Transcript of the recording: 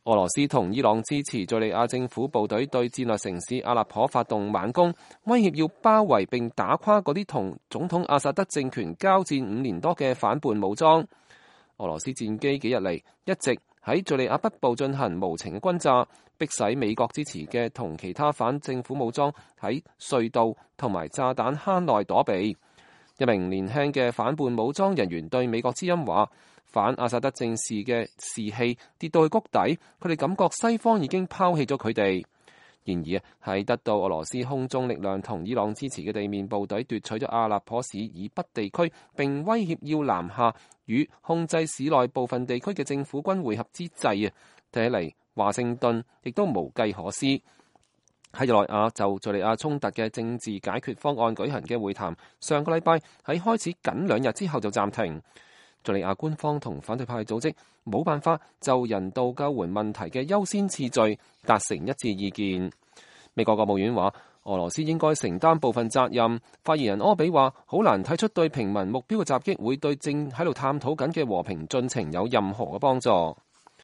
俄羅斯同伊朗支持敘利亞政府部隊對戰略城市阿勒頗發動猛攻，威脅要包圍並打垮嗰啲同總統阿薩德政權交戰5年多嘅反叛武裝。俄羅斯戰機幾日嚟一直喺敘利亞北部進行無情嘅轟炸，迫使美國支持嘅同其他反政府武裝喺隧道同埋炸彈坑內躲避。一名年輕嘅反叛武裝人員對美國之音話：反阿薩德政事嘅士氣跌到去谷底，佢哋感覺西方已經拋棄咗佢哋。然而喺得到俄羅斯空中力量同伊朗支持嘅地面部隊奪取咗阿勒頗市以北地區，並威脅要南下與控制市內部分地區嘅政府軍會合之際睇起嚟華盛頓亦都無計可施。喺日內瓦就敘利亞衝突嘅政治解決方案舉行嘅會談，上個禮拜喺開始僅2日之後就暫停。敘利亞官方同反對派組織冇辦法就人道救援問題嘅優先次序達成一致意見。美國國務院話，俄羅斯應該承擔部分責任。發言人柯比話，好難睇出對平民目標嘅襲擊會對正喺度探討緊嘅和平進程有任何嘅幫助。